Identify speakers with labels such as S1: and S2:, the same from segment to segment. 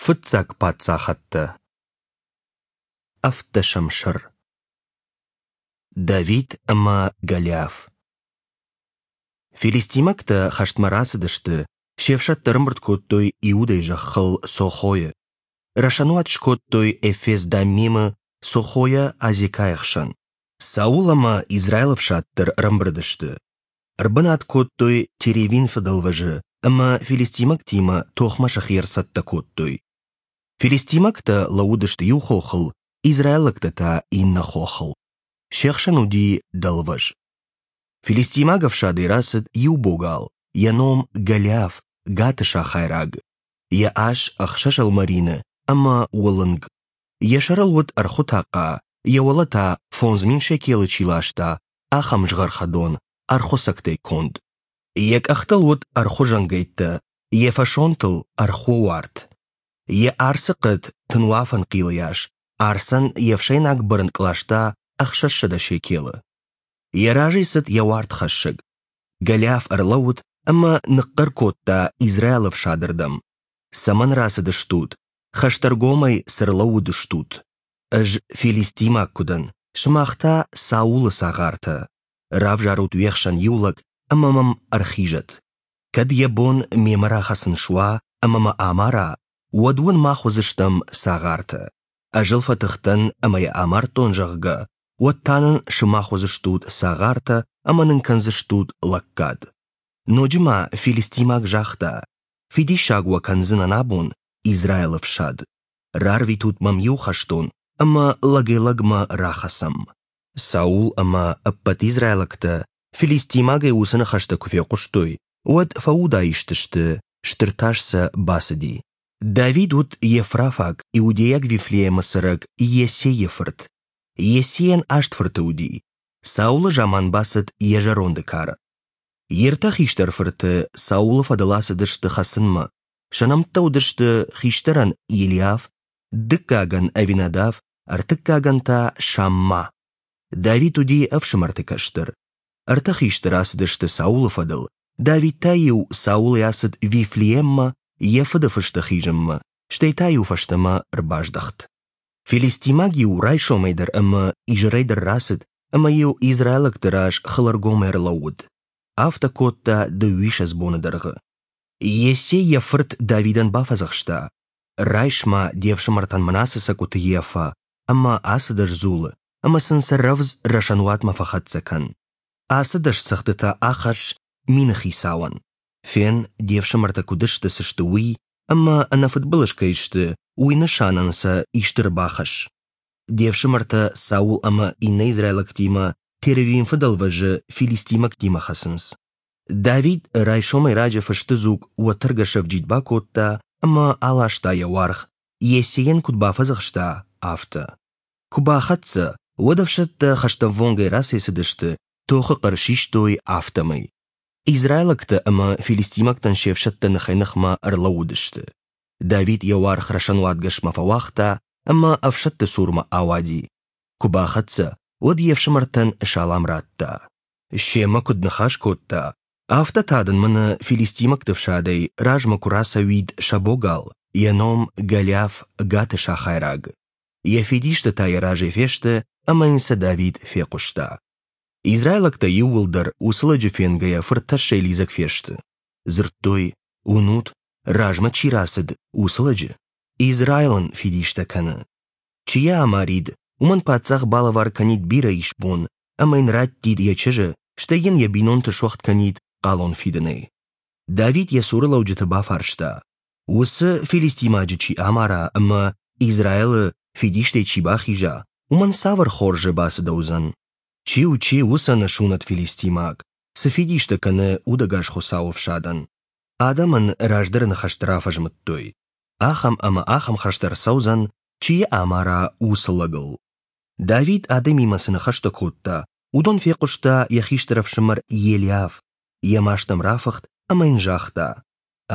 S1: Фыццаг паддзахӕдтӕ. Ӕвддӕсӕм сӕр. Давид ӕмӕ Голиаф. Филистимӕгтӕ хӕстмӕ рацыдысты, се фсӕдтӕ ӕрӕмбырд кодтой Иудӕйы зӕххыл Сохойы. Рӕсӕнуат скодтой Эфес-Даммимы Сохойӕ Азекайы хсӕн. Саул ӕмӕ Израилы ӕфсад дӕр ӕрӕмбырд сты. Ӕрбынат кодтой Теревинфы дӕлвӕзы ӕмӕ филистимӕгтимӕ тохмӕ сӕхи ӕрцӕттӕ кодтой. Филистимӕгтӕ лӕууыдысты иу хохыл, израилӕгтӕ та иннӕ хохыл. Се хсӕн уыди дӕлвӕз. Филистимаг ӕфсадӕй рацыд иу богал, йӕ ном Голиаф, Гаты сахайраг. Йӕ ас ӕхсӕз ӕлмӕрины ӕмӕ уылынг. Йӕ сӕрыл уыд ӕрхуы тахъа, йӕ уӕлӕ та 5000 шекелы чи ласта, ахӕм згъӕрхӕдон, ӕрхуы цӕгтӕй конд. Йӕ къӕхтыл уыд ӕрхуы зӕнгӕйттӕ, йӕ фӕсонтыл ӕрхуы уарт. Йӕ арцы хъӕд тынуафӕн хъилыйас, арцӕн йе фсӕйнаг бырынкъ ласта 600 шекелы. Йӕ разӕй цыд йӕ уартхӕссӕг. Голиаф ӕрлӕууыд ӕмӕ ныхъхъӕр кодта Израилы ӕфсадырдӕм. «Цӕмӕн рацыдыстут? Хӕстӕргомӕй цы рлӕууыдыстут? Ӕз филистимаг куы дӕн, сымах та Саулы цагъартӕ. Равзарут уе хсӕн иу лӕг ӕмӕ мӕм ӕрхизӕд. Кӕд йӕ бон мемӕ рахӕцын суа ӕмӕ мӕ амара, уӕд уын мах уыдзыстӕм цагъартӕ. Ӕз ыл фӕтых дӕн ӕмӕ йӕ амардтон, зӕгъгӕ, уӕд та нын сымах уыдзыстут цагъартӕ ӕмӕ нын кӕндзыстут лӕггад. Ноджы ма филистимаг загъта: Фидиссаг уӕ кӕндзынӕн абон, Израилы фсад. Рарвитут мӕм иу хӕстон, ӕмӕ лӕгӕй-лӕгмӕ рахӕцӕм. Саул ӕмӕ ӕппӕт израилӕгтӕ филистимагӕй уыцы ныхӕстӕ куы фехъуыстой, уӕд фӕудаист сты, стыр тас сӕ бацыди. Давид уыд ефрафаг, иудейаг Вифлеемы цӕрӕг Иессейы фырт. Иессейӕн аст фырты уыди. Саулы заман бацыд йӕ зӕронды кары. Йе ртӕ хистӕр фырты Саулы фӕдыл ацыдысты хӕцынмӕ. Сӕ нӕмттӕ уыдысты хистӕрӕн Елиаф, дыккагӕн Авинадав, ӕртыккагӕн та Шамма. Давид уыди ӕфсымӕрты кӕстӕр. Ӕртӕ хистӕр ацыдысты Саулы фӕдыл, Давид та-иу Саулӕй ацыд Вифлееммӕ йӕ фыды фысты хизынмӕ, стӕй та-иу фӕстӕмӕ ӕрбаздӕхт. Филистимаг-иу райсомӕй дӕр ӕмӕ изӕрӕй дӕр рацыд ӕмӕ-иу израилӕгты раз хылӕргом ӕрлӕууыд. Афтӕ кодта дыууиссӕдз боны дӕргъы. Иессей йӕ фырт Давидӕн бафӕдзӕхста: «Райс-ма де фсымӕртӕн мын ацы цӕкуыты ефа ӕмӕ ацы дӕс дзулы, ӕмӕ сын сӕ рӕвдз рӕсӕнуатмӕ фӕхӕццӕ кӕн. Ацы дӕс цӕгъдытӕ ахӕсс мины хицауӕн. Фен, де фсымӕртӕ куыд сты, цы сты, уый, ӕмӕ ӕнӕфыдбылыз кӕй сты, уый нысанӕн сӕ исты ӕрбахӕсс. Де фсымӕртӕ Саул ӕмӕ иннӕ израилӕгтимӕ Теревимфы дӕлвӕзы филистимӕгтимӕ хӕцынц. Давид райсомӕй раджы фысты дзуг уӕтӕргӕ сӕвджид бакодта ӕмӕ аласта йӕ уаргъ, Иессейӕн куыд бафӕдзӕхста, афтӕ. Куы бахӕццӕ, уӕд ӕфсӕдтӕ хӕстӕввонгӕй рацӕйцыдысты, тохы хъӕр систой, афтӕмӕй. Израилӕгтӕ ӕмӕ филистимӕгтӕн се фсӕдтӕ ныхӕй-ныхмӕ ӕрлӕууыдысты. Давид йӕ уаргъ рӕсӕнуатгӕсмӕ фӕуагъта ӕмӕ ӕфсӕдты цурмӕ ауади. Куы бахӕццӕ, уӕд йе фсымӕртӕн салам радта. Семӕ куыд ныхас кодта, афтӕ та дын мӕнӕ филистимӕгты фсадӕй размӕ куы рацӕуид сӕ богал, йӕ ном Голиаф Гаты сахайраг. Йӕ фидистӕ та йӕ разӕй фесты ӕмӕ йын сӕ Давид фехъуыста. Израилӕгтӕ иууылдӕр уыцы лӕджы фенгӕйӕ фыртӕссӕй лидзӕг фесты. Дзырдтой, уынут, размӕ чи рацыд, уыцы лӕджы? Израилӕн фидистӕ кӕны. Чи йӕ амарид, уымӕн паддзах балӕвар кӕнид бирӕ исбон ӕмӕ йын раттид йӕ чызджы, стӕй йын йӕ бинонты суӕгъд кӕнид хъалон фидынӕй. Давид йӕ цуры лӕуджыты бафарста, уыцы филистимаджы чи амара ӕмӕ Израилы фидистӕй чи бахиза, уымӕн цавӕр хорзы бацыдӕуыдзӕн? Чи у, чи, уыцы ӕнӕсунӕт филистимаг, цы фидистӕ кӕны удӕгас Хуыцауы ӕфсадӕн? Адӕмӕн раздӕры ныхӕстӕ рафӕзмыдтой. Ахӕм ӕмӕ ахӕм хӕст ӕрцӕудзӕн, чи йӕ амара, уыцы лӕгыл. Давид адӕмимӕ цы ныхӕстӕ кодта, уыдон фехъуыста йӕ хистӕр ӕфсымӕр Елиав, йӕ маст ӕм рафыхт ӕмӕ йын загъта: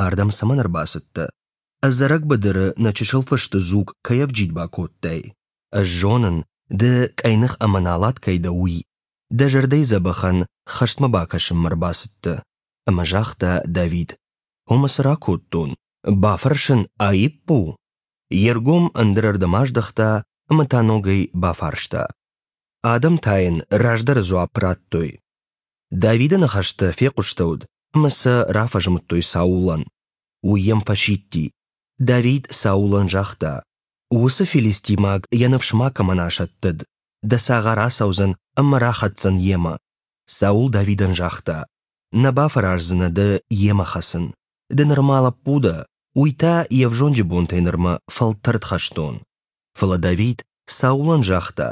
S1: «Ардӕм цӕмӕн ӕрбацыдтӕ? Ӕдзӕрӕг быдыры нӕ чысыл фысты дзуг кӕй ӕвджид бакодтай? Ӕз зонын, ды къӕйных ӕмӕ налат кӕй дӕ, уый. Дӕ зӕрдӕйы дзӕбӕхӕн хӕстмӕ бакӕсынмӕ ӕрбацыдтӕ». Ӕмӕ загъта Давид: «Омӕ цы ракодтон? Бафӕрсын аипп у?» Йе ргом ӕндӕрӕрдӕм аздӕхта ӕмӕ та ногӕй бафарста. Адӕм та йын раздӕры дзуапп радтой. Давиды ныхӕстӕ фехъуыстӕуыд ӕмӕ сӕ рафӕзмыдтой Саулӕн. Уый йӕм фӕсидти. Давид Саулӕн загъта: Уыцы филистимаг йӕ ныфс макӕмӕн асӕттӕд, дӕ цагъар ацӕудзӕн ӕмӕ рахӕцдзӕн йемӕ. Саул Давидӕн загъта: Нӕ бафӕраздзынӕ ды йемӕ хӕцын. Ды нырма лӕппу дӕ, уый та йе взонджы бонтӕй нырмӕ фӕлтӕрд хӕстон. Фӕлӕ Давид Саулӕн загъта: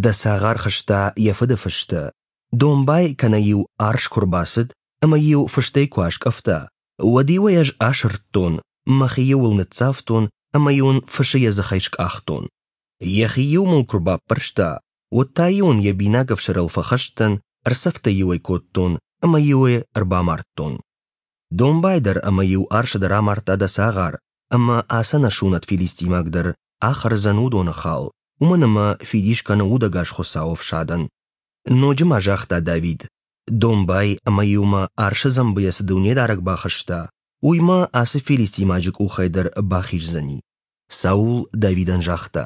S1: Дӕ цагъар хызта йӕ фыды фыстӕ, домбай кӕнӕ-иу арс куы рбацыд ӕмӕ-иу фыстӕй куы аскъӕфта, уӕд-иу ӕй ӕз асырдтон, мӕхи-иу ыл ныццавтон ӕмӕ-иу ын фысы йӕ дзыхӕй скъахтон. Йӕхи-иу мыл куы рбаппӕрста, уӕд та-иу ын йӕ бинаг ӕфсӕрыл фӕхӕст дӕн, ӕрцӕфтӕ-иу ӕй кодтон ӕмӕ-иу ӕй ӕрбамардтон. Домбай дӕр ӕмӕ-иу арсы дӕр амардта дӕ цагъар, ӕмӕ ацы ӕнӕсунӕт филистимаг дӕр ахӕрдзӕн уыдоны хал, уымӕн ӕмӕ фидис кӕны удӕгас Хуыцауы ӕфсадӕн. Ноджы ма загъта Давид, домбай ӕмӕ-иу мӕ арсы дзӕмбыйӕ цы дунедарӕг бахызта, уый мӕ ацы филистимаджы къухӕй дӕр бахиздзӕни. Саул Давидӕн загъта: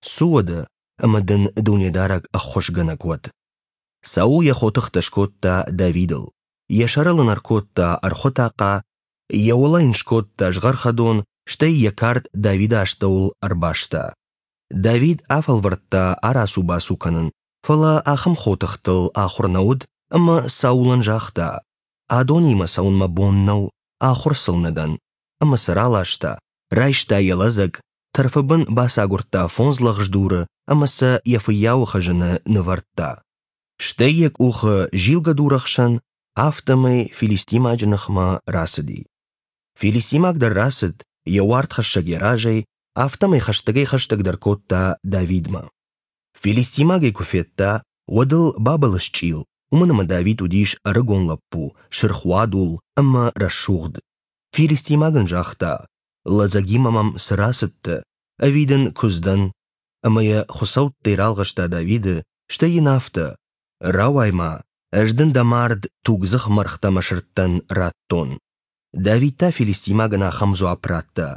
S1: Цу уӕдӕ, ӕмӕ дын Дунедарӕг ӕххуысгӕнӕг уӕд. Саул йӕ хотыхтӕ скодта Давидыл, йӕ сӕрыл ын ӕркодта ӕрхуы тахъа, йӕ уӕлӕ йын скодта згъӕрхӕдон, стӕй йӕ кард Давиды астӕуыл ӕрбаста. Давид афӕлвӕрдта арацу-бацу кӕнын, фӕлӕ ахӕм хотыхтыл ахуыр нӕ уыд ӕмӕ Саулӕн загъта: «Адонимӕ цӕуын мӕ бон нӕу, ахуыр сыл нӕ дӕн». Ӕмӕ сӕ раласта, райста йӕ лӕдзӕг, тӕрфы бын бацагуырдта фондз лӕгъз дуры ӕмӕ сӕ йӕ фыййауы хызыны нывӕрдта. Стӕй йӕ къухы зилгӕ дурӕхсӕн, афтӕмӕй филистимаджы ныхмӕ рацыди. Филистимаг дӕр рацыд, йӕ уартхӕссӕг йӕ разӕй, афтӕмӕй хӕстӕгӕй-хӕстӕгдӕр кодта Давидмӕ. Филистимаг ӕй куы федта, уӕд ыл бабылысчъил, уымӕн ӕмӕ Давид уыдис ӕрыгон лӕппу, сырхуадул ӕмӕ рӕсугъд. Филистимаг ын загъта: «Лӕдзӕгимӕ мӕм цы рацыдтӕ, ӕви дын куыдз дӕн?» Ӕмӕ йӕ хуыцӕуттӕй ралгъыста Давиды, стӕй йын афтӕ: «Рауай-ма, ӕз дын дӕ мард тугдзых мӕргътӕ мӕ сырдтӕн радтон». Давид та филистимагӕн ахӕм дзуапп радта: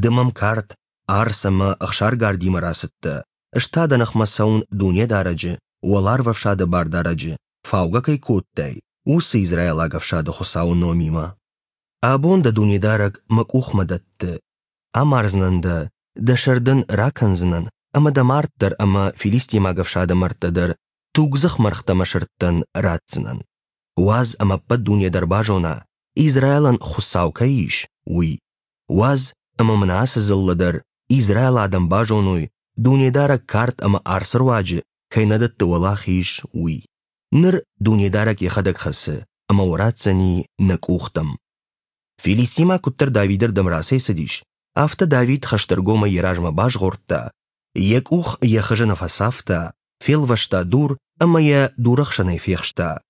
S1: «Ды мӕм кард, арц ӕмӕ ӕхсаргардимӕ рацыдтӕ, ӕз та дӕ ныхмӕ цӕуын Дунедарӕджы, уӕларвӕфсады Бардарӕджы, фаугӕ кӕй кодтай, уыцы израилаг ӕфсады Хуыцауы номимӕ. Абон дӕ Дунедарӕг мӕ къухмӕ дӕтты, амардзынӕн дӕ, дӕ сӕр дын ракӕндзынӕн ӕмӕ дӕ мард дӕр ӕмӕ филистимаг ӕфсады мӕрдтӕ дӕр тугдзых мӕргътӕ мӕ сырдтӕн ратдзынӕн. Уадз ӕмӕ ӕппӕт дуне дӕр базона, Израилӕн Хуыцау кӕй ис, уый. Уадз ӕмӕ мын ацы дзыллӕ дӕр Израилы адӕм базоной, Дунедарӕг кард ӕмӕ арцы руаджы кӕй нӕ дӕтты уӕлахиз, уый. Ныр Дунедарӕг йӕхӕдӕг хӕцы ӕмӕ уӕ ратдзӕни нӕ къухтӕм. Филистимӕ куыддӕр Давиды рдӕм рацӕйцыдис, афтӕ Давид хӕстӕргомӕй йӕ размӕ базгъордта, йӕ къух йӕ хызыны фӕцавта, фелвӕста дур ӕмӕ йӕ дурӕхсӕнӕй фехста.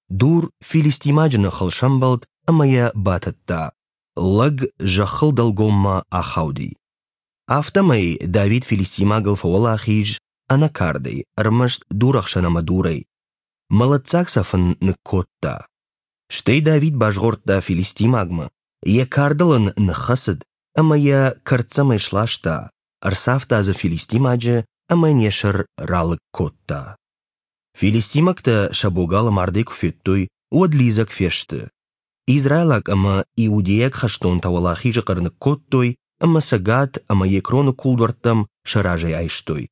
S1: Дур филистимаджы ныхыл сӕмбӕлд ӕмӕ йӕ батыдта. Лӕг зӕххыл дӕлгоммӕ ахауди. Афтӕмӕй Давид филистимагыл фӕуӕлахиз ӕнӕ кардӕй, ӕрмӕст дурӕхсӕн ӕмӕ дурӕй. Мӕлӕтдзаг цӕф ын ныккодта. Стӕй Давид базгъордта филистимагмӕ, йӕ кардыл ын ныххӕцыд ӕмӕ йӕ кӕрддзӕмӕй сласта, ӕрцавта дзы филистимаджы ӕмӕ йын йӕ сӕр ралыг кодта. Филистимӕгтӕ сӕ богалы мардӕй куы федтой, уӕд лидзӕг фесты. Израилаг ӕмӕ иудейаг хӕстонтӕ уӕлахизы хъӕр ныккодтой ӕмӕ сӕ Гат ӕмӕ Екроны кулдуӕрттӕм сӕ разӕй айстой.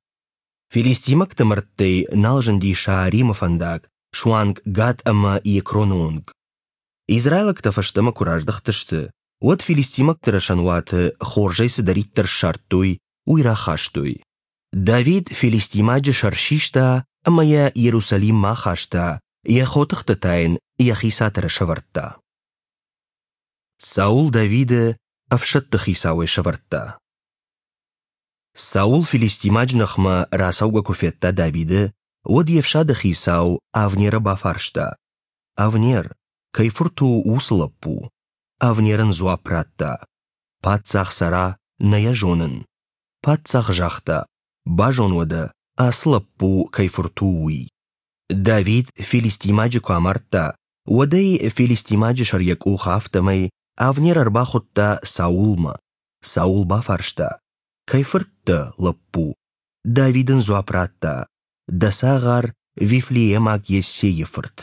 S1: Филистимӕгты мӕрдтӕй нал зынди Шааримы фӕндаг, суанг Гат ӕмӕ Екроны онг. Израилӕгтӕ фӕстӕмӕ куы раздӕхтысты, уӕд филистимӕгты рӕсӕнуаты хорзӕй цыдӕриддӕр ссардтой, уый рахастой. Давид филистимаджы сӕр систа ӕмӕ йӕ Иерусалиммӕ ахаста, йӕ хотыхтӕ та йын йӕхи цатыры сӕвӕрдта. Саул Давиды ӕфсӕдты хицауӕй сӕвӕрдта. Саул филистимаджы ныхмӕ рацӕугӕ куы федта Давиды, уӕд йе фсады хицау Авнеры бафарста: «Авнер, кӕй фырт у уыцы лӕппу?» Авнер ын дзуапп радта: «Паддзах цӕра, нӕ йӕ зонын». Паддзах загъта: «Базон уӕдӕ, ацы лӕппу кӕй фырт у, уый». Давид филистимаджы куы амардта, уӕд ӕй филистимаджы сӕр йӕ къухы афтӕмӕй Авнер ӕрбахуыдта Саулмӕ. Саул бафарста: Кӕй фырт дӕ, лӕппу? Давид ын дзуапп радта: Дӕ цагъар Вифлеемаг Йессейы фырт.